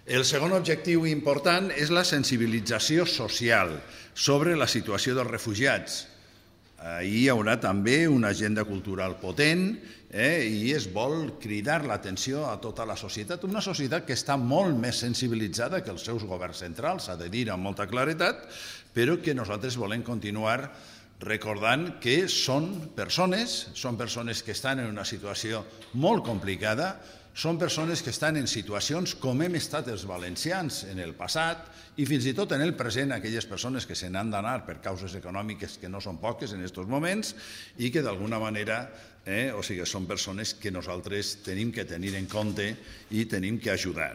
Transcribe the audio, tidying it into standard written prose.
El segon objectiu important és la sensibilització social sobre la situació dels refugiats. Hi haurà també una agenda cultural potent i es vol cridar l'atenció a tota la societat, una societat que està molt més sensibilitzada que els seus governs centrals, s'ha de dir amb molta claretat, però que nosaltres volem continuar recordant que són persones que estan en una situació molt complicada, són persones que estan en situacions com hem estat els valencians en el passat i fins i tot en el present aquelles persones que se n'han d'anar per causes econòmiques que no són poques en aquests moments i que d'alguna manera són persones que nosaltres tenim que tenir en compte i tenim que ajudar.